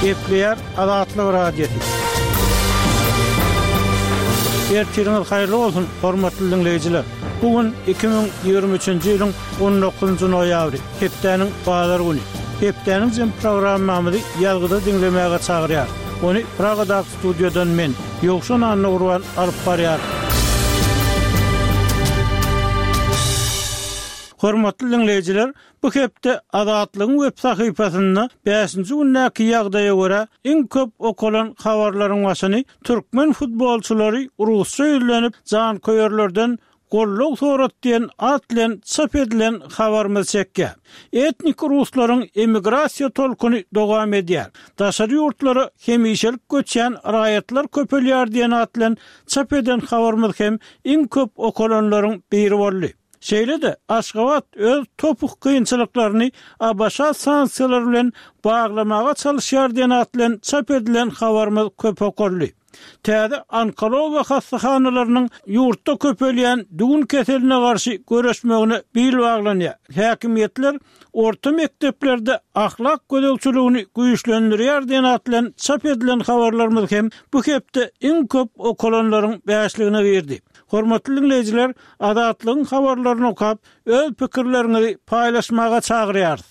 Gepleýär Azatlyk Radiosy. Ertiriňiz haýyrly bolsun, hormatly diňleýjiler! Bu gün 2023-nji ýylyň 19-njy noýabry, hepdäniň bazar güni. Hepdäniň jem programmamyzy ýazgyda diňlemäge çagyrýarys. Ony Pragadaky studiýadan men, Ýowşan Annagurban alyp barýaryn. Hormatly diňleýjiler, bu hepde Azatlygyň web sahypasynda bäşinji gündäki ýagdaýa görä iň köp okalan habarlaryň başyny türkmen futbolçylary rusça ýüzlenip janköýerlerden goldaw sorat diýen at bilen çap edilen habarymyz çekýär. Etnik ruslaryň emigrasiýa tolkuny dowam edýär. Daşary ýurtlara hemişelik göçýän raýatlar köpelýär diýen at bilen çap eden habarymyz hem iň köp okalanlaryň biri boldy. Şeýle-de, Aşgabat öz topuk kynçylyklaryny ABŞ sanksiýalary bilen baglamaga çalyşýar diýen at bilen çap edilen habarymyz köp okaldy. Täze onkologiýa hassahanalarynyň ýurtda köpelýän düwün keseline garşy göreşmegine bil baglanýar. Häkimiýetler orta mekdeplerde ahlak gözegçiligini güýçlendirýär diýen at bilen çap edilen habarlarymyz hem bu hepde iň köp okalanlaryň bäşligine girdi. Hormatly diňleýjiler, Azatlygyň habarlaryny okap, öz pikirleriňizi paýlaşmaga çagyrýarys.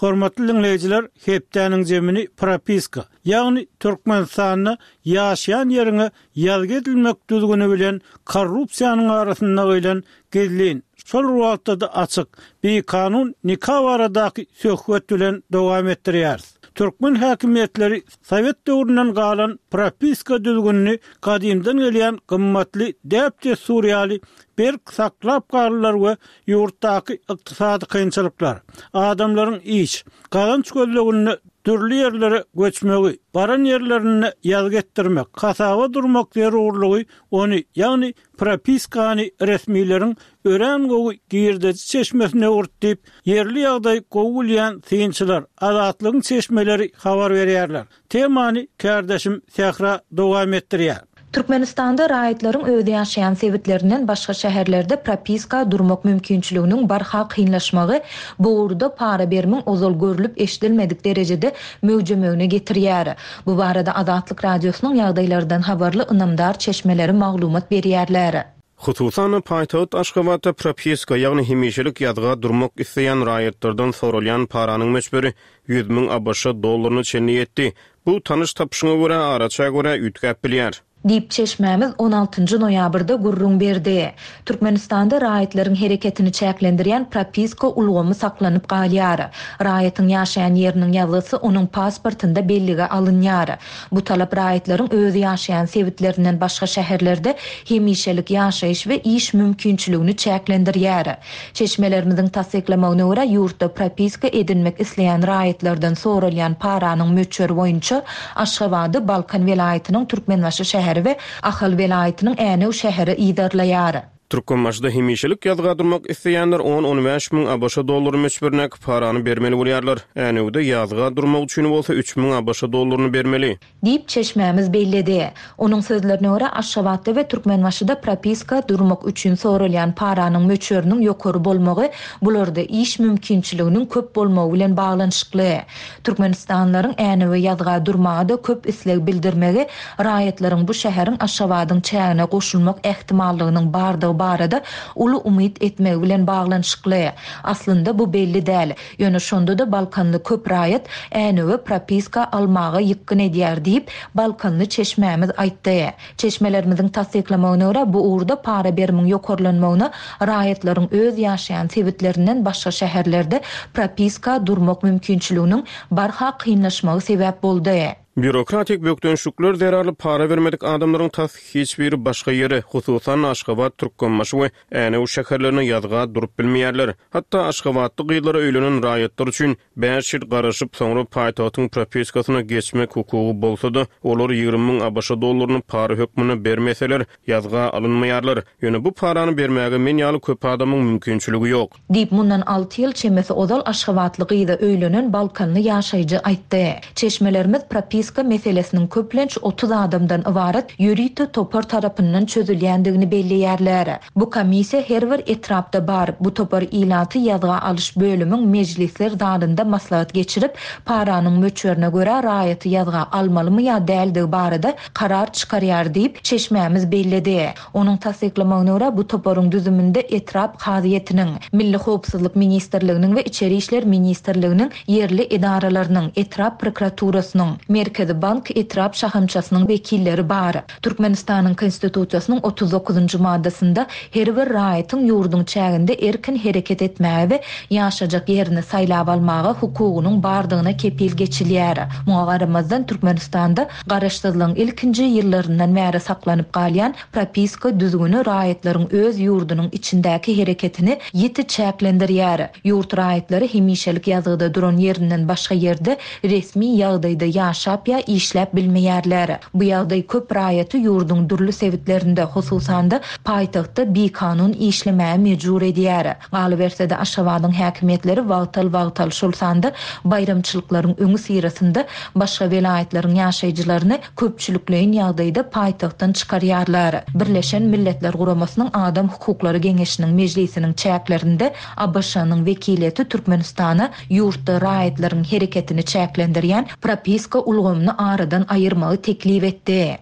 Hormatly diňleýjiler, hepdäniň jemini propiska, ýagny Türkmenistanda ýaşaýan ýeriňe ýazgy edilmek düzgüni bilen korrupsiýanyň arasynda gyýlan gizlin, şol bir wagtda-da açyk, bikanun nika baradaky söhbet bilen dowam etdirýäris. Türkmen häkimiýetleri sowet döwründen galan propiska düzgünini gadymdan gelýän gymmatly däp-dessur ýaly berk saklap galdylar we ýurtdaky ykdysady kynçylyklar, adamlaryň iş, gazanç gözleginde dürli ýerlere göçmegi, baran ýerlerinde ýazgy etdirmek, hasaba durmak zerurlygy ony, ýagny propiskany resmileriň örän gowy girdeji çeşmesine öwürdi diýip, ýerli ýagdaýy gowy bilýän synçylar, Azatlygyň çeşmeleri habar berýärler. Temany kärdeşim Sähra dowam etdirýär. Türkmenistanda raýatlaryň öz ýaşaýan sebitlerinden başga şäherlerde propiska durmak mümkinçiliginiň barha kynlaşmagy bu ugurda para berimiň ozal görlüp-eşidilmedik derejede möwjemegine getirýär. Bu barada Azatlyk Radiosynyň ýagdaýlardan habarly ynamdar çeşmeleri maglumat berýärler. Hususan-da, paýtagt Aşgabatda propiska, ýagny hemişelik ýazga durmak isleýän raýatlardan soralýan paranyň möçberi 100 müň ABŞ dollaryna çenli ýetdi. Bu tanyş-tapyşyňa görä, araça görä üýtgäp bilýär. Diýip, çeşmämiz on altynjy noýabrda gürrüň berdi. Türkmenistanda raýatlaryň hereketini çäklendirýän propiska ulgamy saklanyp galýar. Raýatyň ýaşaýan ýeriniň ýazgysy onuň pasportynda bellige alynýar. Bu talap raýatlaryň öz ýaşaýan sebitlerinden başga şäherlerde hemişelik ýaşaýyş we iş mümkinçiligini çäklendirýär. Çeşmelerimiziň tassyklamagyna görä, ýurtda propiska edinmek isleýän raýatlardan soralýan paranyň möçberi boýunça Aşgabady Balkan welaýatynyň Türkmenbaşy şäheri we Ahal welaýatynyň Änew şäheri yzarlaýar. Türkmenbaşyda hemişelik ýazga durmak isleýänler on-on bäş müň ABŞ dollary möçberindäki parany bermeli bolýarlar. Änewde ýazga durmak üçin bolsa üç müň ABŞ dollaryny bermeli. Diýip, çeşmämiz belledi. Onuň sözlerine görä, Aşgabatda we Türkmenbaşyda propiska durmak üçin soralýan paranyň möçberiniň ýokary bolmagy bularda iş mümkinçiliginiň köp bolmagy bilen baglanyşykly. Türkmenistanlylaryň Änewe ýazga durmaga-da köp isleg bildirmegi raýatlaryň bu şäheriň Aşgabadyň çägine goşulmak ähtimallygynyň bardygy barada uly umyt etmegi bilen baglanyşykly. Aslynda bu belli däl. Ýöne şonda-da balkanly köp raýat Änewe propiska almaga ýykgyn edýär diýip, balkanly çeşmämiz aýtdy. Çeşmelerimiziň tassyklamagyna görä, bu ugurda para berimiň ýokarlanmagyna raýatlaryň öz ýaşaýan sebitlerinden başga şäherlerde propiska durmak mümkinçiliginiň barha kynlaşmagy sebäp boldy. Býurokratik bökdençlikler zerarly para bermedik adamlaryň tas hiç biri başga ýere, hususan-da Aşgabat, Türkmenbaşy we Änew şäherlerine ýazga durup bilmeýärler. Hatda aşgabatly gyzlara öýlenen raýatlar üçin bäş ýyl garaşyp, soňra paýtagtyň propiskasyna geçmek hukugy bolsa-da, olar 20 müň ABŞ dollaryny para hökmünde bermeseler, ýazga alynmaýarlar. Ýöne bu parany bermäge men ýaly köp adamyň mümkinçiligi ýok. Diýip, mundan alty ýyl çemesi ozal aşgabatly gyza öýlenen balkanly ýaşaýjy aýtdy. Çeşmelerimiz propiska. propiska meselesiniň köplenç 30 adamdan ybarat ýörite topar tarapyndan çözülýändigini belleýärler. Bu komissiýa her bir etrapda bar. Bu topar ilaty ýazga alyş bölümiň mejlisler zalynda maslahat geçirip, paranyň möçberine görä raýaty ýazga almalymy ýa däldigi barada karar çykarýar diýip, çeşmämiz belledi. Onuň tassyklamagyna görä, bu toparyň düzüminde etrap kazyýetiniň, Milli howpsuzlyk ministrliginiň we Içeri işler ministrliginiň ýerli edaralarynyň, etrap prokuraturasynyň, Merkezi bank etrap şahamçasynyň wekilleri bar. Türkmenistanyň Konstitusiýasynyň 39 njy maddasynda her bir raýatyň ýurduň çäginde erkin hereket etmäge we ýaşajak ýerini saýlap almaga hukugynyň bardygyna kepil geçilýär. Muňa garamazdan, Türkmenistanda Garaşsyzlygyň ilkinji ýyllaryndan bäri saklanyp galýan propiska düzgüni raýatlaryň öz ýurdunyň içindäki hereketini ýiti çäklendirýär. Ýurt raýatlary hemişelik ýazgyda duran ýerinden başga ýerde resmi ýagdaýda ýaşap ýa işläp bilmeýärler. Bu ýagdaý köp raýaty ýurduň dürli sebitlerinde, hususan-da, paýtagtda bikanun işlemäge mejbur edýär. Galyberse-de, Aşgabadyň häkimiýetleri wagtal-wagtal, şol sanda baýramçylyklaryň öňüsyrasynda başga welaýatlaryň ýaşaýjylaryny köpçülikleýin ýagdaýda paýtagtdan çykarýarlar. Birleşen Milletler Guramasynyň Adam hukuklary geňeşiniň mejlisiniň çäklerinde ABŞ-nyň wekiliýeti Türkmenistana ýurtda raýatlaryň hereketini çäklendirýän propiska ulgamyny aradan aýyrmagy teklip etdi.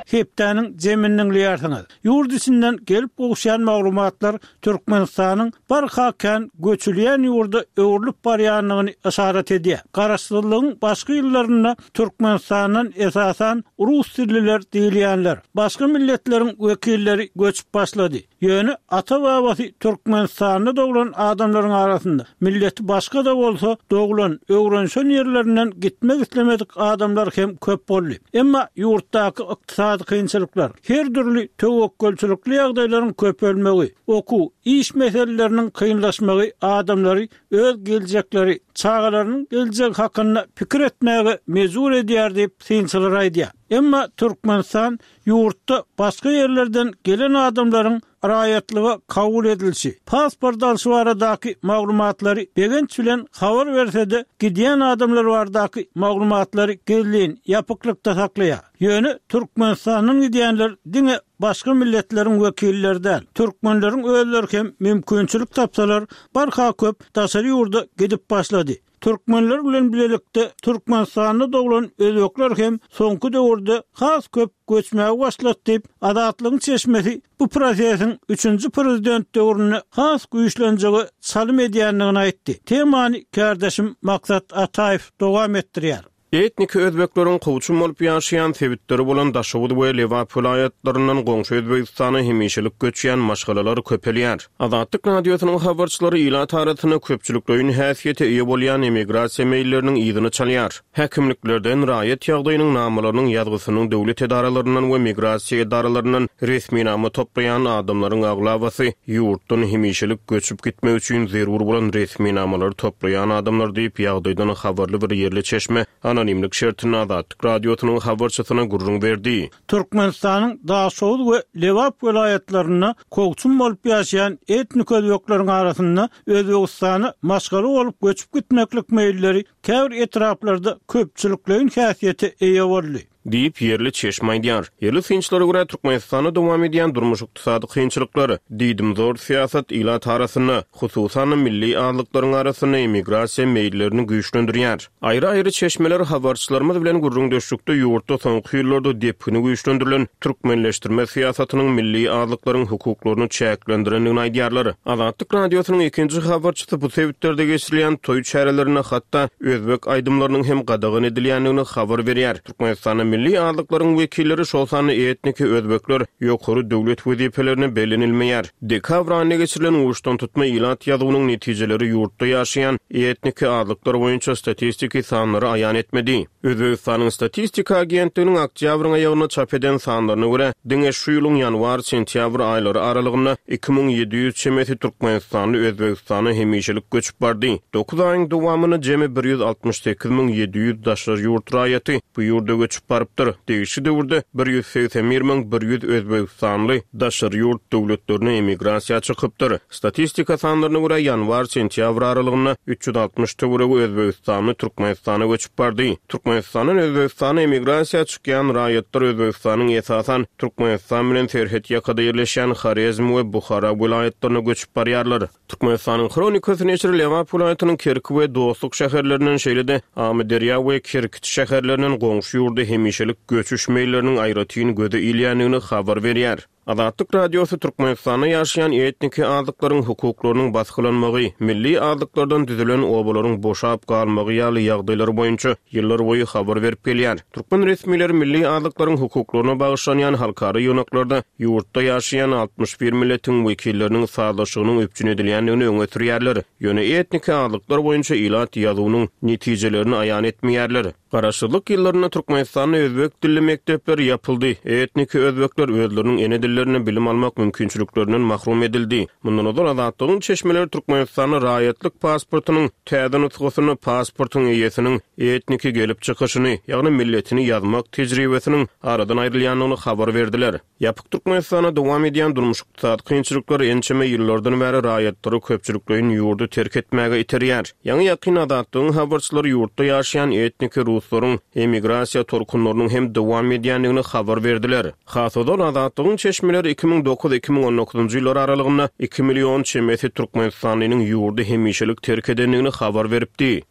Hepdäniň jemini diňleýärsiňiz. Ýurt içinden gelip gowuşýan maglumatlar Türkmenistanyň barha kän göçülýän ýurda öwrülip barýandygyny yşarat edýär. Garaşsyzlygyň başky ýyllarynda Türkmenistandan esasan rus dilliler diýilýänler, başga milletleriň wekilleri göçüp başlady. Ýöne ata-babasy Türkmenistanda doglan adamlaryň arasynda, milleti başga-da bolsa, doglan, öwrenişen ýerlerinden gitmek islemedik adamlar hem köp boldy. Emma ýurtdaky ykdysady kynçylyklar, her dürli töwekgelçilikli ýagdaýlaryň köpelmegi, okuw, iş meseleleriniň kynlaşmagy adamlary öz geljekleri, çagalarynyň geljegi hakynda pikir etmäge mejbur edýär diýip, synçylar aýdýar. Emma Türkmenistan Ýurtda başga ýerlerden gelen adamlaryň raýatlyga kabul edilişi, pasport alşy baradaky maglumatlary begenç bilen habar berse-de, gidýän adamlar baradaky maglumatlary gizlin, ýapyklykda saklaýar. Ýöne Türkmenistandan gidýänler diňe başga milletleriň wekilleri däl, türkmenleriň özleri hem mümkinçilik tapsalar, barha köp daşary ýurda gidip başlady. Türkmenler bilen bilelikde Türkmenistanda doglan özbekler hem soňky döwürde has köp göçmäge başlady diýip, Azatlygyň çeşmesi bu prosesiň üçünji prezident döwründe has güýçlenjege çalym edýändigini aýtdy. Temany kärdeşim Maksat Ataýew dowam etdirýär. Etniki özbekleriň kowçum bolup ýaşaýan sebitleri bolan Daşoguz we Lebap welaýatlaryndan goňşy Özbegistana hemişelik göçýän maşgalalar köpelýär. Azatlyk Radiosynyň habarçylary ilat arasynda köpçülikleýin häsiýete eýe bolýan emigrasiýa meýilleriniň yzyny çalýar. Häkimliklerden, raýat ýagdaýynyň namalarynyň ýazgysynyň döwlet edaralaryndan we migrasiýa edaralaryndan resminama toplaýan adamlaryň aglabasy ýurtdan hemişelik göçüp gitmek üçin zerur bolan resminamalary toplaýan adamlar diýip, ýagdaýdan habarly bir ýerli çeşme anonimlik şertinde Azatlyk Radiosynyň habarçysyna gürrüň berdi. Türkmenistanyň Daşoguz we Lebap welaýatlarynda kowçum bolup ýaşaýan etnik özbekleriň arasynda Özbegistana maşgala bolup göçüp gitmeklik meýilleri käbir etraplarda köpçülikleýin häsiýete eýe boldy. Diýip, ýerli çeşme aýdýar. Ýerli synçylara görä, Türkmenistanda dowam edýän durmuş-ykdysady kynçylyklar, diýdimzor syýasat ilat arasynda, hususan-da milli azlyklaryň arasynda emigrasiýa meýillerini güýçlendirýär. Aýry-aýry çeşmeler habarçylarymyz bilen gürrüňdeşlikde ýurtda soňky ýyllarda depgini güýçlendirilen türkmenleşdirme syýasatynyň milli azlyklaryň hukuklaryny çäklendirendigini aýdýarlar. Azatlyk Radiosynyň ikinji habarçysy bu sebitlerde geçirilýän toý çärelerinde hatda özbek aýdymlarynyň hem gadagan edilýändigini habar berýär. Türkmenistanda milli azlyklaryň wekilleri, şol sanda etniki özbekler ýokary döwlet wezipelerine bellenilmeýär. Dekabr aýynda geçirilen uçdantutma ilat ýazuwynyň netijeleri ýurtda ýaşaýan etniki azlyklar boýunça statistiki sanlary aýan etmedi. Özbegistanyň Statistika agentliginiň oktýabryň aýagynda çap eden sanlaryna görä, diňe şu ýylyň ýanwar-sentýabr aýlary aralygynda 2700 çemesi türkmenistanly Özbegistana hemişelik göçüp bardy. Dokuz aýyň dowamynda jemi 168 700 daşary ýurt raýaty bu ýurda göçüp barypdyr. barypdyr. Degişli döwürde 181 100 özbegistanly daşary ýurt döwletlerine emigrasiýa çykypdyr. Statistika sanlaryna görä, ýanwar-sentýabr aralygynda 360 töweregi özbegistanly Türkmenistana göçüp bardy. Türkmenistandan Özbegistana emigrasiýa çykýan raýatlar Özbegistanyň esasan Türkmenistan bilen serhet ýakada ýerleşýän Horezm we Buhara welaýatlaryna göçüp barýarlar. Türkmenistanyň Hronikasy neşiri Lebap welaýatynyň Kerki we Dostluk şäherlerinden, şeýle-de Amyderýa we Kerkiç şäherlerinden goňşy ýurda hemişelik göçüş meýilleriniň aýratyn göze ilýändigini habar berýär. Azatlyk Radiosy Türkmenistanda ýaşaýan etniki azlyklaryň hukuklarynyň basgylanmagy, milli azlyklardan düzülen obalaryň boşap galmagy ýaly ýagdaýlar boýunça ýyllarboýy habar berip gelýär. Türkmen resmileri milli azlyklaryň hukuklaryna bagyşlanýan halkara ýygnaklarda ýurtda ýaşaýan 61 milletiň wekilleriniň sazlaşygynyň üpjün edilýändigini öňe sürýärler, ýöne etniki azlyklar boýunça ilat ýazuwynyň netijelerini aýan etmeýärler. Garaşsyzlyk ýyllarynda Türkmenistanda özbek dilli mekdepler ýapyldy, etniki özbekler özleriniň ene dillerinde bilim almak mümkinçiliklerinden mahrum edildi. Mundan ozal Azatlygyň çeşmeleri Türkmenistanda raýatlyk pasportynyň täze nusgasynda pasportyň eýesiniň etniki gelip çykyşyny, ýagny milletini ýazmak tejribesiniň aradan aýrylýandygyny habar berdiler. Ýapyk Türkmenistanda dowam edýän durmuş-ykdysady kynçylyklar ençeme ýyllardan bäri raýatlary köpçülikleýin ýurdy terk etmäge iterýär. Ýaňy-ýakyn Azatlygyň habarçylary ýurtda ýaşaýan etniki ruslaryň emigrasiýa tolkunlarynyň hem dowam edýändigini habar berdiler. Has ozal Azatlygyň çeşmeleri 2009, 2019 ýyllar aralygynda iki million çemesi türkmenistanlynyň ýurdy hemişelik terk edendigini habar beripdi.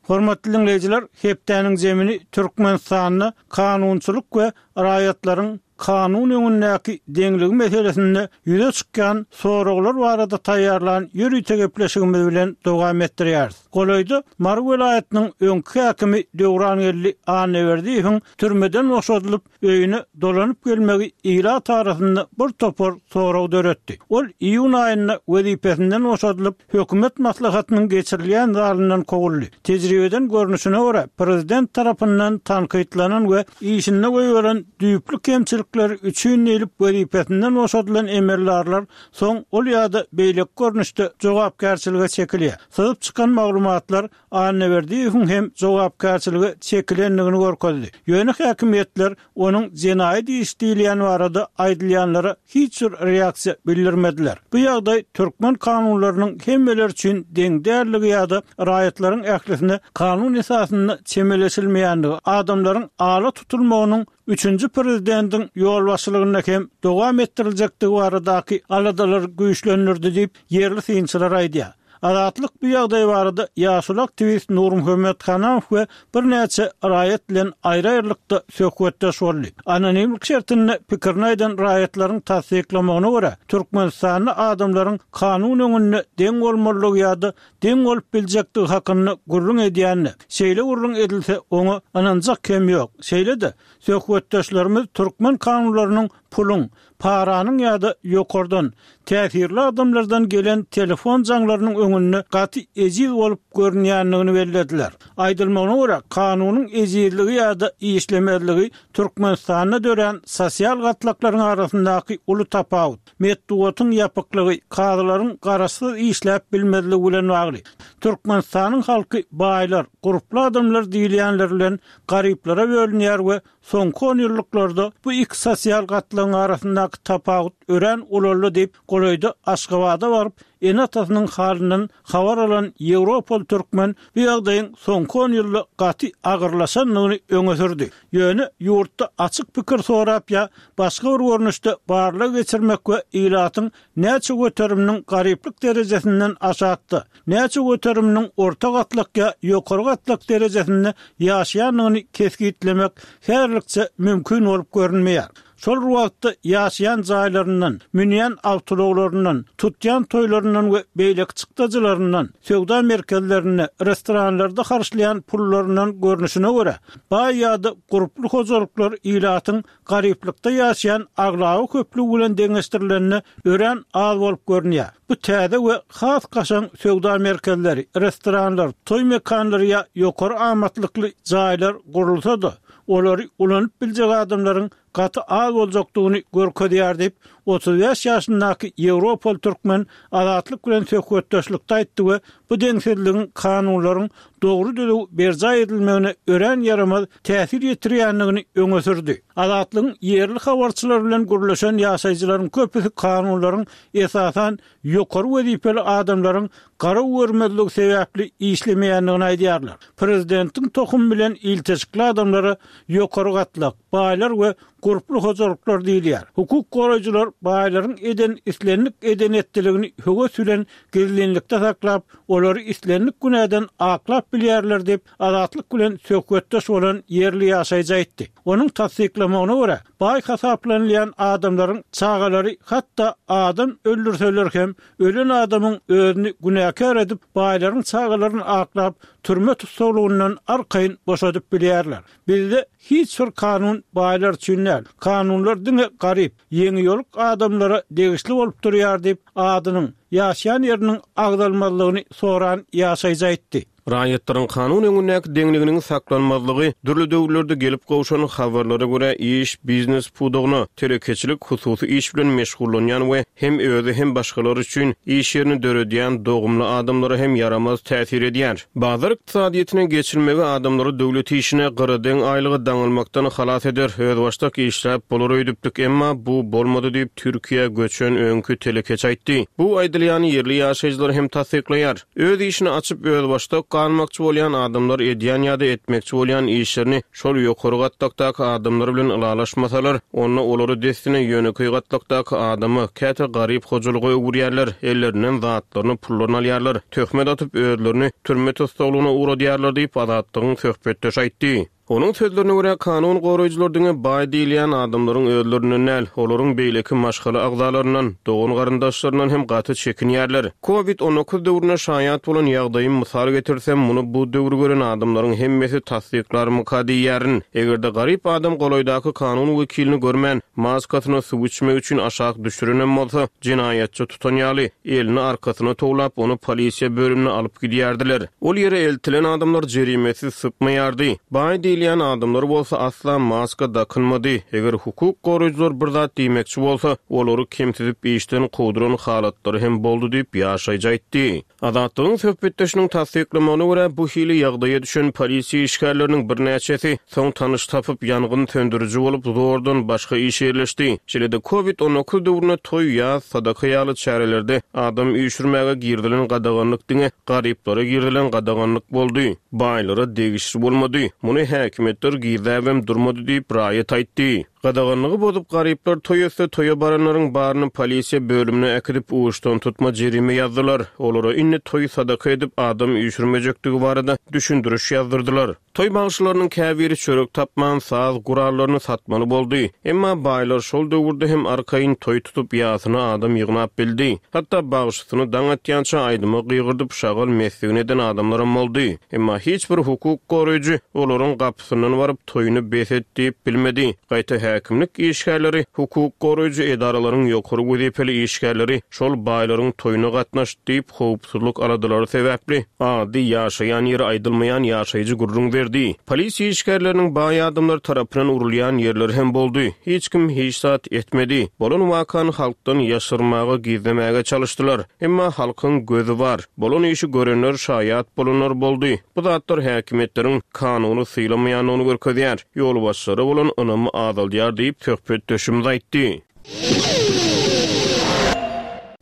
Hormatly diňleýjiler, hepdäniň zemini Türkmenistanda kanunçylyk we raýatlaryň kanun öňündäki deňligi meselesinde ýüze çykýan soraglar barada taýýarlan ýörite gepleşigimiz bilen dowam etdirýäris. Golaýda Mary welaýatynyň öňki häkimi Döwrangeldi Annaberdiýewiň türmeden boşadylyp, öýüne dolanyp gelmegi ilat arasynda bir topar sorag döretdi. Ol iýun aýynda wezipesinden boşadylyp, hökümet maslahatynyň geçirilýän zalyndan kowuldy. Tejribeden görnüşine görä, prezident tarapyndan tankytlanan we işinde goýberen düýpli kemçilikleri üçin diýlip wezipesinden boşadylan emeldarlar soň ol ýa-da beýleki görnüşde jogapkärçilige çekilýär. Syzyp çykan maglumatlar Annaberdiýewiň hem jogapkärçilige çekilendigini görkezdi. Ýöne häkimiýetler onuň jenaýat iş diýilýän barada aýdylýanlara hiç bir reaksiýa bildirmediler. Bu ýagdaý türkmen kanunlarynyň hemmeler üçin deň däldigi ýa-da raýatlaryň ählisine kanun esasynda çemeleşilmeýändigi, adamlaryň ala tutulmagynyň üçünji prezidentiň ýolbaşçylygynda hem dowam etdiriljekdigi baradaky aladalary güýçlendirdi diýip, ýerli synçylar aýdýar. Azatlyk bu ýagdaý barada ýaşuly aktiwist Nurmuhammet Hanamow we birnäçe raýat bilen aýry-aýrylykda söhbetdeş boldy. Anonimlik şertinde pikirini aýdan raýatlaryň tassyklamagyna görä, Türkmenistanda adamlaryň kanun öňünde deň bolmalydygy ýa-da deň bolup biljekdigi hakynda gürrüň edýände, şeýle gürrüň edilse, oňa ynanjak hem ýok. Şeýle-de, söhbetdeşlerimiz türkmen kanunlarynyň puluň, paranyň ýa-da ýokardan, täsirli adamlardan gelen telefon jaňlarynyň öňünde gaty ejiz bolup görünýändigini bellediler. Aýdylmagyna görä, kanunyň ejizligi ýa-da işlemezligi Türkmenistanda dörän sosial gatlaklaryň arasyndaky uly tapawut, metbugatyň ýapyklygy, kazylaryň garaşsyz işläp bilmezligi bilen bagly. Türkmenistanyň halky baýlar, gurply adamlar diýilýänler bilen garyplara bölünýär we Soňky onýyllyklarda bu iki sosial gatlagyň arasyndaky tapawut örän ulaldy diýip, golaýda Aşgabada baryp, ene-atasynyň halyndan habar alan ýewropaly türkmen bu ýagdaýyň soňky on ýylda gaty agyrlaşandygyny öňe sürdi. Ýöne ýurtda açyk pikir sorap ýa başga bir görnüşde barlag geçirmek we ilatyň näçe göteriminiň garyplyk derejesinden aşakda, näçe göteriminiň orta gatlak ýa ýokary gatlak derejesinde ýaşaýandygyny kesgitlemek häzirlikçe mümkin bolup görünmeýär. Şol bir wagtda ýaşaýan jaýlaryndan, münýän awtoulaglaryndan, tutýan toýlaryndan we beýleki çykdajylaryndan, söwda merkezlerinde, restoranlarda harçlaýan pullaryndan görnüşine görä, baý ýa-da gurply hojalyklar ilatyň garyplykda ýaşaýan aglaba köplügi bilen deňeşdirilende örän az bolup görünýär. Bu täze we has kaşaň söwda merkezleri, restoranlar, toý mekanlary ýa ýokary amatlykly jaýlar gurulsa-da, olary ulanyp biljek adamlaryň gaty az boljakdygyny görkezýär diýip, 35 ýaşyndaky ýewropaly türkmen Azatlyk bilen söhbetdeşlikde aýtdy we bu deňsizligiň kanunlaryň dogry-düzüw berjaý edilmegine örän ýaramaz täsir ýetirýändigini öňe sürdi. Azatlygyň ýerli habarçylary bilen gürleşen ýaşaýjylaryň köpüsi kanunlaryň esasan ýokary wezipeli adamlaryň garaw görmezligi sebäpli işlemeýändigini aýdýarlar. Prezidentiň tohumy bilen ilteşikli adamlara ýokary gatlak, baýlar we gurply hojalyklar diýilýär. Hukuk goraýjylar baýlaryň eden islendik eden-etdiligini höwes bilen gizlinlikde saklap, olary islendik günäden aklap bilýärler diýip, Azatlyk bilen söhbetdeş bolan ýerli ýaşaýjy aýtdy. Onuň tassyklamagyna görä, baý hasaplanylýan adamlaryň çagalary hatda adam öldürseler hem, ölen adamyň özüni günäkär edip, baýlaryň çagalaryny aklap, türme tussaglygyndan arkaýyn boşadyp bilýärler. Bizde hiç bir kanun baýlar üçin däl. Kanunlar diňe garyp, ýeňiýoluk adamlara degişli bolup durýar diýip, adynyň, ýaşaýan ýeriniň agzalmazlygyny soran ýaşaýjy aýtdy. Raýatlaryň kanun öňündäki deňliginiň saklanmazlygy dürli döwürlerde gelip gowşan habarlara görä iş, biznes pudagyna, telekeçilik, hususy iş bilen meşgullanýan we hem özi hem başgalar üçin iş ýerini döredýän dogumly adamlara hem ýaramaz täsir edýär. Bazar ykdysadyýetine geçilmegi adamlary döwlet işine, gyradeň aýlyga daňylmakdan halas eder, özbaşdak işläp bolar öýdüpdik, emma bu bolmady diýip, Türkiýä göçen öňki telekeçi aýtdy. Bu aýdylýany ýerli ýaşaýjylar hem tassyklaýar. Öz işini açyp, özbaşdak galmakçy bolýan adamlar edýän ýa-da etmekçi bolýan işlerini şol ýokary gatlakdaky adamlar bilen ylalaşmasalar, onda olary dessine ýönekeý gatlakdaky adama, käte garyp hojalyga öwürýärler, ellerinden zatlaryny, pullaryny alýarlar, töhmet atyp, özlerini türme tussaglygyna ugradýarlar diýip, Azatlygyň söhbetdeşi aýtdy. Onuň sözlerine görä, kanun goraýjylar diňe baý diýilýän adamlaryň özlerinden däl, olaryň beýleki maşgala agzalaryndan, dogan-garyndaşlaryndan hem gaty çekinýärler. Covid 19 döwründe şaýat bolan ýagdaýym mysal getirsem, muny bu döwri gören adamlaryň hemmesi tassyklarmyka diýýärin. Eger-de garyp adam golaýdaky kanun wekilini görmän, maskasyna suw içmek üçin aşak düşürenem bolsa, jenaýatçy tutan ýaly, elini arkasyna towlap, ony polisiýa bölümine alyp gidýärdiler. Ol ýere eltilen adamlar jerimesiz sypmaýardy. Baý diýilýän adamlar bolsa asla maska dakynmady. Eger hukuk goraýjylar bir zat diýmekçi bolsa, olary kemsidip işden kowduran halatlary hem boldy diýip, ýaşaýjy aýtdy. Azatlygyň söhbetdeşiniň tassyklamagyna görä, bu hili ýagdaýa düşen polisiýa işgärleriniň birnäçesi soň tanyş tapyp, ýangyn söndüriji bolup, zordan başga işe ýerleşdi. Şeýle-de, Covid 19 döwründe toý, ýas, sadaka ýaly çärelerde adam üýşürmäge girizilen gadaganlyk diňe garyplara girizilen gadaganlyk boldy, baýlara degişli bolmady. Muny häkimiýetler gizläbem durmady diýip, raýat aýtdy. Gadaganlygy bozup, garyplar toý etse, toýa baranlaryň baryny polisiýa bölümine äkidip, uçdantutma jerime ýazdylar. Olara indi toý sadaka edip, adam üýşürmejekdigi barada düşündiriş ýazdyrdylar. Toý bagşylarynyň käbiri çörek tapman, saz gurallaryny satmaly boldy. Emma baýlar şol döwürde hem arkaýyn toý tutup, ýasyna adam ýygnap bildi. Hatda bagşysyny daň atýança aýdyma gygyrdyp, şagal mesligini eden adamlaram boldy. Emma hiç bir hukuk goraýjy olaryň gapysyndan baryp, toýuny bes et diýip bilmedi. Gaýta häkimlik işgärleri, hukuk goraýjy edaralaryň ýokary wezipeli işgärleri şol baýlaryň toýuna gatnaşdy diýip, howpsuzlyk aladalary sebäpli ady, ýaşaýan ýeri aýdylmaýan ýaşaýjy gürrüň berdi. Polisiýa işgärleriniň baý adamlar tarapyndan urulýan ýerleri hem boldy. Hiç kim hiç zat etmedi. Bolan wakany halkdan ýaşyrmaga, gizlemäge çalyşdylar. Emma halkyň gözi bar. Bolan işi görenler, şaýat bolanlar boldy. Bu zatlar häkimiýetleriň kanuny sylamaýandygyny görkezýär, ýolbaşçylara bolan ynamy azaldýar diýip, söhbetdeşimiz aýtdy.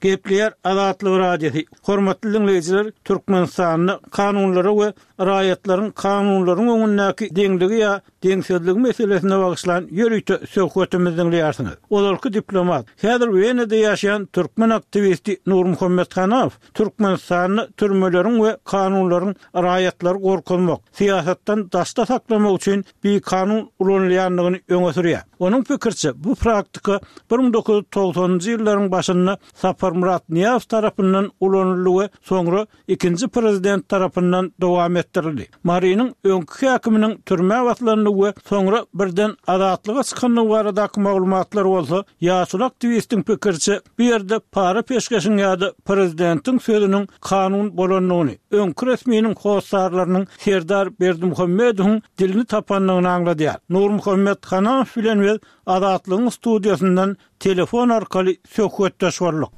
Gepleýär Azatlyk Radiosy, Hormatly diňleýjiler, Türkmenistanda kanunlara we raýatlaryň kanunlaryň öňündäki deňligi ýa deňsizligi meselesine bagyşlan ýörite söhbetimizi diňleýärsiňiz. Ozalky diplomat, häzir Wenada ýaşaýan türkmen aktiwisti Nurmuhammet Hanaw Türkmenistanda türmeleriň we kanunlaryň raýatlary gorkuzmak, syýasatdan daşda saklamak üçin bikanun ulanylýandygyny öňe sürýär. Onuň pikiriçe, bu praktika 1990-njy ýyllaryň başynda Saparmyrat Nyýazow tarapyndan ulanyldy we soňra ikinji prezident tarapyndan dowam etdirildi. Marynyň öňki häkiminiň türmä basylandygy we soňra birden azatlyga çykandygy baradaky maglumatlar bolsa, ýaşuly aktiwistiň pikiriçe, bu ýerde para-peşgeşiň ýa-da prezidentiň sözüniň kanun bolandygyny, öňki resminiň hossarlarynyň Serdar Berdimuhamedowyň dilini tapandygyny aňladýar. Nurmuhammet Hanamow bilen biz Azatlygyň studiýasyndan. telefon arkaly söhbetdeş bolduk.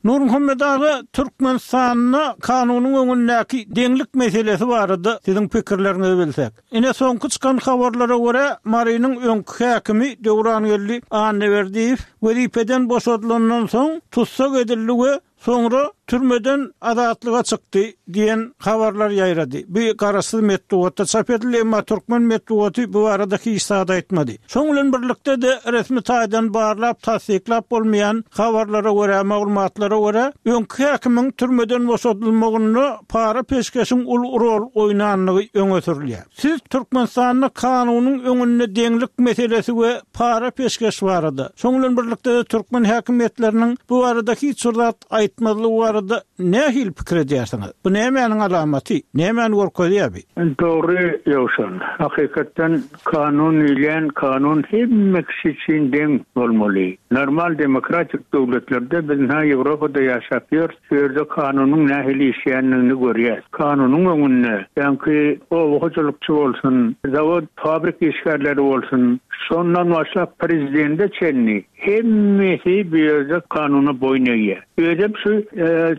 Nurmuhammet aga, Türkmenistanda kanunyň öňündäki deňlik meselesi barada siziň pikirleriňizi bilsek. Ine soňky çykan habarlara görä, Marynyň öňki häkimi Döwrangeldi Annaberdiýew wezipeden boşadylandan soň tussag edildi we Soňra türmeden azatlyga çykdy diýen habarlar ýaýrady. Bu garaşsyz metbugatda çap edildi, emma türkmen metbugaty bu barada hiç zat aýtmady. Şoň bilen birlikde-de resmi taýdan barlap, tassyklap bolmaýan habarlara görä, maglumatlara görä, öňki häkimiň türmeden boşadylmagynda para-peşgeşiň uly rol oýnandygy öňe sürülýär. Siz Türkmenistanda kanunyň öňünde deňlik meselesi we para-peşgeş barada, şoň bilen birlikde-de türkmen häkimiýetleriniň bu barada hiç bir zat aýtmazlygy barada nähili pikir edýärsiňiz? Bu nämäniň alamaty? Nämäni görkezýär bi? Dogry Ýowşan. Hakykatdan kanun diýilýän kanun hemme kişi üçin deň bolmaly. Normal demokratik döwletlerde biz ynha Ýewropada ýaşap ýörüs. Şu ýerde kanunyň nähili işleýändigini görýäs. Kanunyň öňünde, ýaňky oba hojalykçy bolsun, zawod, fabrik işgärleri bolsun, şondan başlap prezidende çenli hemmesi bu ýerde kanuna boýun egýär. Özem şu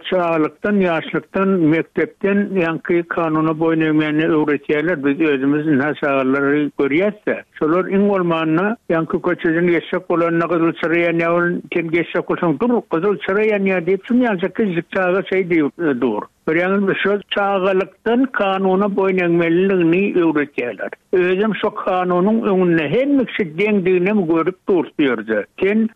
çagalykdan, ýaşlykdan, mekdepden ýaňky kanuna boýun egmäni öwretýärler. Biz özümiz ynha çagalary görýäs-de. Şolar iň bolmanda, ýaňky köçeden geçjek bolanda gyzyl çyra ýanýar welin, sen geçjek bolsaň, Dur, gyzyl çyra ýanýar diýip, şuny ýalyjak kiçijik çaga şeý diýip dur. Görýäňizmi, şo çagalykdan kanuna boýun egmeliligini öwretýärler. Özem şo kanunyň öňünde hemme kişi deňdiginem görüp dur şu ýerde. Sen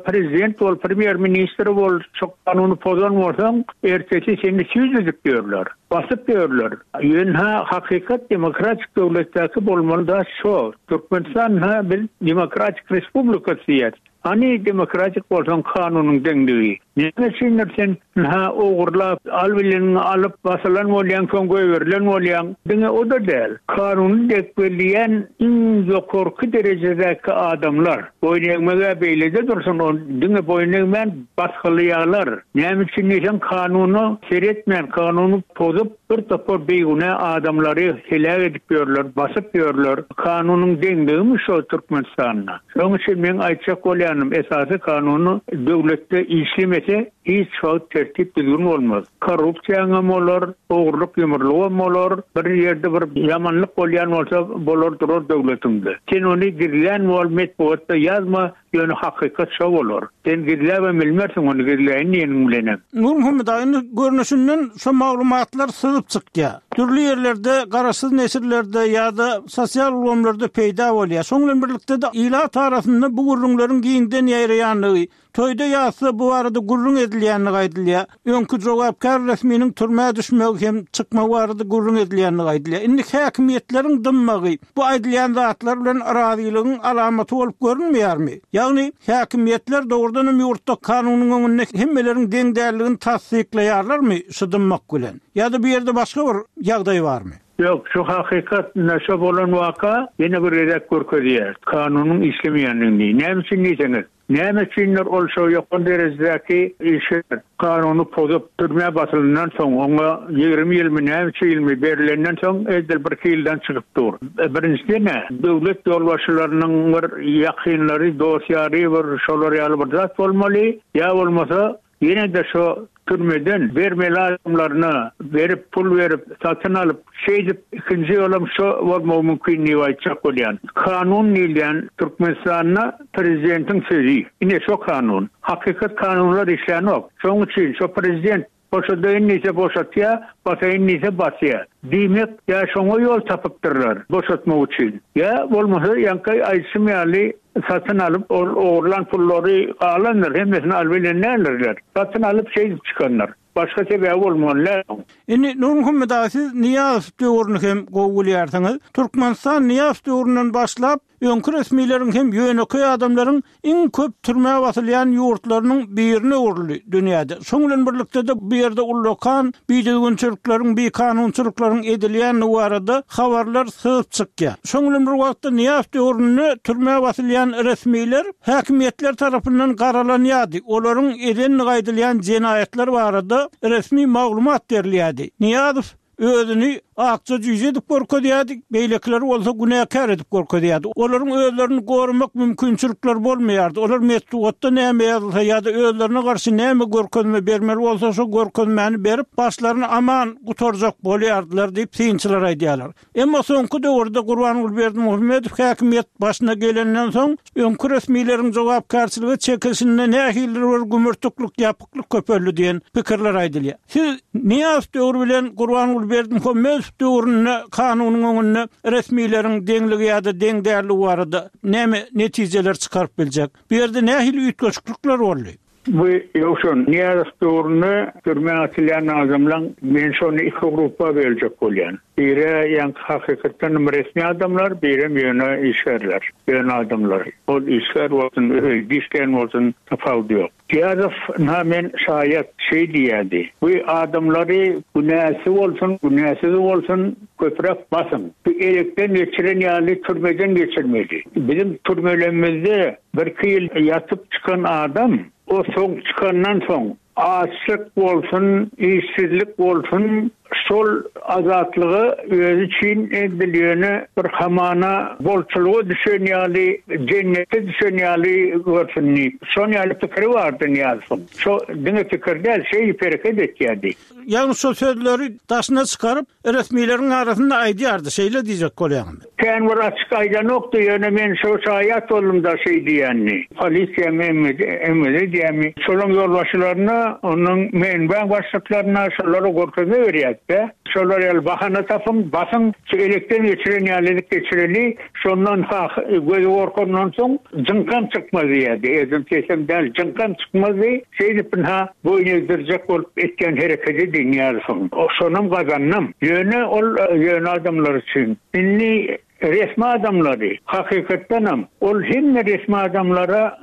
prezident bol, premýer-ministr bol, şo kanuny pozan bolsaň, ertesi seni süýt edip ýörler. Basyp ýörler. Ýöne hakykat demokratik döwletdäki bolmaly zat şo. Türkmenistan ha biz demokratik respublikasy diýýäs. Hany demokratik bolsaň kanunyň deňligi. Näme üçindir sen ha ogurlap al bileniňi alyp basylan bolýaň soň goýberilen bolýaň. Diňe o-da däl. Kanuny dek belleýän iň ýokarky derejedäki adamlar. Boýun egmeg-ä beýlede dursun, ol diňe boýun egmän basgylaýarlar. Näme üçin diýseň, kanuna seretmän, kanuny pozup, bir topar bigünä adamlary heläk edip ýörler, basyp ýörler. Kanunyň deňligimi şo Türkmenistanda? Şonuň üçin meň aýtjak bolýanym, esasy kanuny döwletde işlemese, hiç wagt tertip-düzgün bolmaz. Korrupsiýaňam bolar, ogurlyk-ýumurlygam bolar, bir ýerde bir ýamanlyk bolýan bolsa, bolar durar döwletiňde. Sen ony gizlän bol, metbugatda ýazma, ýöne hakykat şo bolar. Sen gizläbem bilmersiň ony gizläýin diýeniň bilenem. Nurmuhammet aga, indi görnüşinden şo maglumatlar syzyp çykýar. Dürli ýerlerde, garaşsyz neşirlerde ýa-da sosial ulgamlarda peýda bolýar. Şoň bilen birlikde-de ilat arasynda bu gürrüňleriň giňden ýaýraýandygy, Toýda-ýasda bu barada gürrüň edilýändigi aýdylýar. Öňki jogapkär resminiň türmä düşmegi hem çykmagy barada gürrüň edilýändigi aýdylýar. Indi häkimiýetleriň dymmagy bu aýdylýan zatlar bilen razylygyň alamaty bolup görünmeýärmi? Ýagny, häkimiýetler dogrudan hem ýurtda kanunyň öňünde hemmeleriň deň däldigini tassyklaýarlarmy şu dymmak bilen? Ýa-da bu ýerde başga bir ýagdaý barmy? Ýok, şu hakykat, ine şo bolan waka ýene bir gezek görkezýär, kanunyň işlemeýändigini. Näme üçin diýseňiz, Näme üçindir ol şo ýokary derejedäki işgär kanuny pozup, türmä basylandan soň, oňa 20 ýylmy, näçe ýylmy berilenden soň edil birki ýyldan çykyp dur. Birinjiden-ä, döwlet ýolbaşçylarynyň bir ýakynlary, dost-ýary bir şolar ýaly bir zat bolmaly, ýa bolmasa Ýene-de şo türmeden bermeli adamlaryna berip, pul berip, satyn alyp, şeýdip ikinji ýolam şo bolmagy mümkin diýip aýtjak bolýan. Kanun diýilýän Türkmenistanda prezidentiň sözi. Ine şo kanun. Hakykat kanunlar işlänok. Şoň üçin şo prezident boşadaýyn diýse boşatýa, basaýyn diýse basýa. Diýmek, ýa şoňa ýol tapypdyrlar boşatmak üçin. Ýa bolmasa ýaňky aýdyşym ýaly Satyn alyp, ol ogurlan pullary galandyr, hemmesini alyp bilen däldirler. Satyn alyp şeýdip çykandyr. Başga sebäbi bolmaly däl oň. Indi Nurmuhammet aga siz Nyýazow döwrüni hem gowy bilýärsiňiz. Türkmenistan Nyýazow döwründen başlap öňki resmileriň hem ýönekeý adamlaryň iň köp türmä basylýan ýurtlarynyň birine öwrüldi dünýäde. Şoň bilen birlikde-de bu ýerde ullakan bidüzgünçilikleriň, bikanunçylyklaryň edilýändigi barada habarlar syzyp çykýar. Şoň bilen bir wagtda Nyýazow döwründe türmä basylýan resmiler häkimiýetler tarapyndan garalanýardy, olaryň edendigi aýdylýan jenaýatlar barada resmi maglumat berilýärdi. Nyýazow. özüni akja jüýje edip görkezýärdi, beýlekileri bolsa günäkär edip görkezýärdi. Olaryň özlerini goramak mümkinçilikleri bolmaýardy. Olar metbugatda näme ýazylsa ýa-da özlerine garşy näme görkezme bermeli bolsa, şo görkezmäni berip, başlaryny aman gutarjak bolýardylar diýip, synçylar aýdýarlar. Emma soňky döwürde Gurbanguly Berdimuhamedow häkimiýet başyna gelenden soň, öňki resmileriň jogapkärçilige çekilişinde nähilidir bir gümürtiklik, ýapyklyk köpeldi diýen pikirler aýdylýar. Siz Nyýazow döwri bilen Gurbanguly Berdimuhamedow döwründe kanunyň öňünde resmileriň deňligi ýa-da deň dälligi barada näme netijeler çykaryp biljek? Bu ýerde nähili üýtgeşiklikler boldy? Bu Ýowşan, Nyýazow döwründe türmä atylýan adamlaň men şony iki grupba böljek bolýan. Biri ýaňky hakykatdanam resmi adamlar, birem ýöne işgärler, ýöne adamlar. Ol işgär bolsun, öýde işleýän bolsun tapawudy ýok. Nyýazow ynha men şaýat şeý diýýärdi, Bu adamlary günäsi bolsun, günäsiz bolsun köpräk basyň. Bu elekden geçiren ýaly türmeden geçirmeli. Biziň türmelemizde Birki ýyl ýatyp çykan adam, o soň çykandan soň, açlyk bolsun, işsizlik bolsun, şol azatlygy özi üçin edil ýöne bir hamana bolçulyga düşen ýaly, jennete düşen ýaly görsün diýip, şon ýaly pikiri bardy Nyýazowyň. Şo diňe pikir däl, şeýdip hereket etýärdi. Ýagny şol sözleri daşyna çykaryp, resmileriň arasynda aýdýardy, şeýle diýjek bolýaňmy? Kän bir açyk aýdanokdy, ýöne men şo şaýat boldum-da şeý diýenini. Polisiýamy, MWD, MWD diýýärmi, şolaň ýolbaşçylaryna, onnoň MNB-iň başlyklaryna şolara görkezme berýärdi-de. Şolar ýaly bahana tapyň, basyň, şu elekden geçiren ýaly edip geçireli, şondan sah, gözi gorkandan soň jyňkam çykmaz diýýärdi. Özüm sesem däl, jyňkam çykmazdy. Şeýdip ynha boýun egdirjek bolup etýän herekedi Nyýazowyň. Şonam gazandam. Ýöne ol ýöne adamlar üçin. Indi resmi adamlary, hakykatdanam, ol hemme resmi adamlara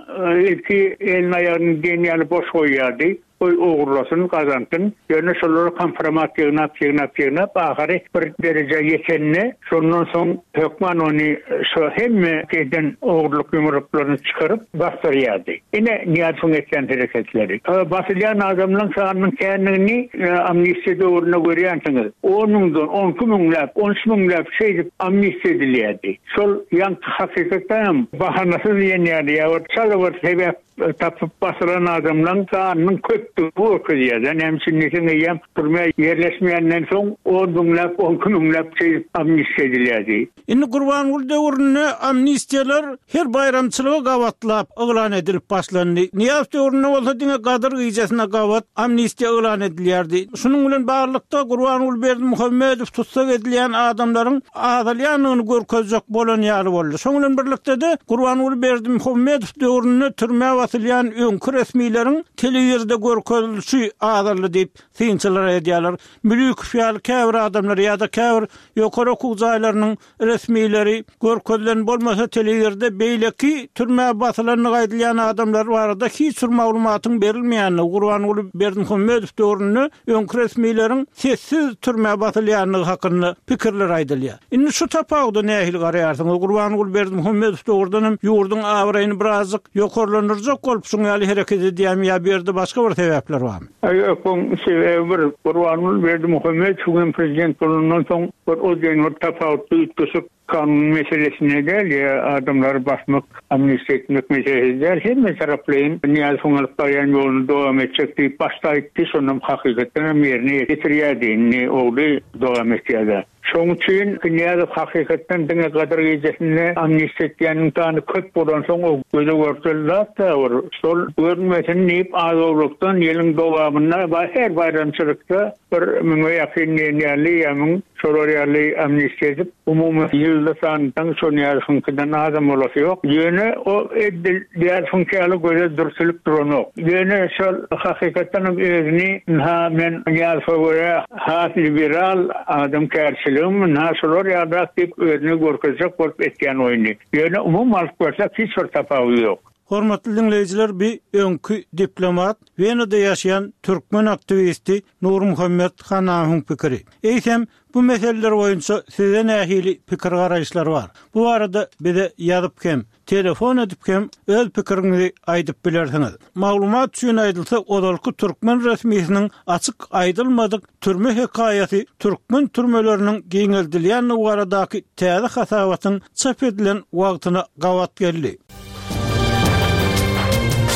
ilki elini-aýagyny diýen ýaly boş goýýardy. Goý ogurlasyn, gazansyn. Ýöne şolara kompromat ýygnap, ýygnap, ýygnap, ahyry bir derejä ýetende, şondan soň hökman ony şo hemme eden ogurlyk-ýumruklaryny çykaryp basdyrýardy. Ine, Nyýazowyň etýän hereketleri. Basylýan adamlaryň sanynyň kändigini amnistiýa döwründe görýänsiňiz. On müňden, on iki müňläp, on üç müňläp şeýdip amnistiýa edilýärdi. Şol ýaňky hakykatdanam bahanasyz diýen ýaly ýa bir çala bir sebäp tapyp basylan adamlaryň sanynyň köpdügini görkezýär-de. Näme üçin diýseň eýýäm türmä ýerleşmeýänden soň on müňläp, on iki müňläp şeýdip amnistiýa edilýärdi. Indi Gurbanguly döwründe amnistiýalar her baýramçylyga gabatlap yglan edilip başlandy. Nyýazow döwründe bolsa diňe Gadyr gijesine gabat amnistiýa yglan edilýärdi. Şunuň bilen baglylykda Gurbanguly Berdimuhamedow tussag edilýän adamlaryň azalýandygyny görkezjek bolan ýaly boldy. Şonuň bilen birlikde-de Gurbanguly Berdimuhamedow döwründe türmä basylýan öňki resmileriň telewizorda görkezilişi azaldy diýip, synçylar aýdýarlar. Mülükow ýaly käbir adamlar ýa-da käbir ýokary okuw jaýlarynyň resmileri görkezilen bolmasa telewizorda beýleki türmä basylandygy aýdylýan adamlar barada hiç bir maglumatyň berilmeýändigi, Gurbanguly Berdimuhamedow döwründe öňki resmileriň sessiz türmä basylýandygy hakynda pikirler aýdylýar. Indi şu tapawuda nähili garaýarsyňyz? Gurbanguly Berdimuhamedow dogrudan hem ýurduň abraýyny birazjyk ýokarlandyrjak bolup şuň ýaly hereket edýärmi ýa bu ýerde başga bir sebäpler barmy? Ýok, oň sebäbi bir, Gurbanguly Berdimuhamedowyň hem prezident bolandan soň bir o diýen bir tapawutly üýtgeşik kanun meselesinde däl ýa adamlary basmak, amnistiýa etmek meselesi däl, hemme taraplaýyn Nyýazowyň alyp barýan ýoluny dowam etjek diýip başda aýtdy, şonam hakykatdan hem ýerine ýetirýärdi, indi ogly dowam etýär-de. Şoň üçin Nyýazow hakykatdan diňe Gadyr gijesinde amnistiýa etýäniň sany köp bolansoň o göze görteli zat-da bir şol görünmesin diýip az-owlakdan ýylyň dowamynda her baýramçylykda bir müňe ýakyn diýen ýaly ýa müň şolar ýaly amnistiýa edip umumy ýylda sanydan şo Nyýazowyňkydan azam bolasy ýok. Ýöne o edil Nyýazowyňky ýaly göze dürtülip duranok. Ýöne şol hakykatdanam özüni ynha men Nyýazowa görä Has liberal adamkärçiligim ynha şular ýalyrak diýip özüni görkezjek bolup etýän oýny. Ýöne umumy alyp görsek hiç bir tapawudy ýok. Hormatly diňleýjiler bi öňki diplomat, Wenada ýaşaýan türkmen aktiwisti Nurmuhammet Hanawyň pikiri. Eýsem, bu meseleler boýunça sizde nähili pikir-garaýyşlar bar? Bu barada bize ýazyp hem, telefon edip hem öz pikiriňizi aýdyp bilersiňiz. Maglumat üçin aýdylsa, ozalky türkmen resmisiniň açyk aýdylmadyk türme hekaýasy türkmen türmeleriniň giňeldilýändigi baradaky täze hasabatyň çap edilen wagtyna gabat geldi.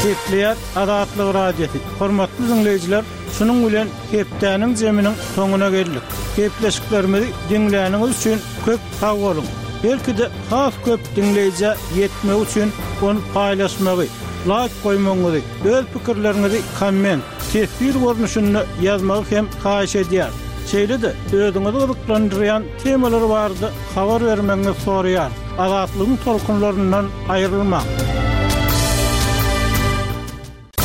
Gepleýär Azatlyk Radiosy. Hormatly diňleýjiler, şunuň bilen hepdäniň zeminiň soňuna geldik. Gepleşiklerimizi diňläniňiz üçin köp sag boluň. Belki-de has köp diňleýjä ýetmegi üçin ony paýlaşmagy, laýk goýmagyňyzy, öz pikirleriňizi komment, teswir görnüşinde ýazmagy hem haýyş edýäris. Şeýle-de özüňizi gyzyklandyrýan temalar barada habar bermegiňizi soraýarys. Azatlygyň tolkunlaryndan aýrylmaň!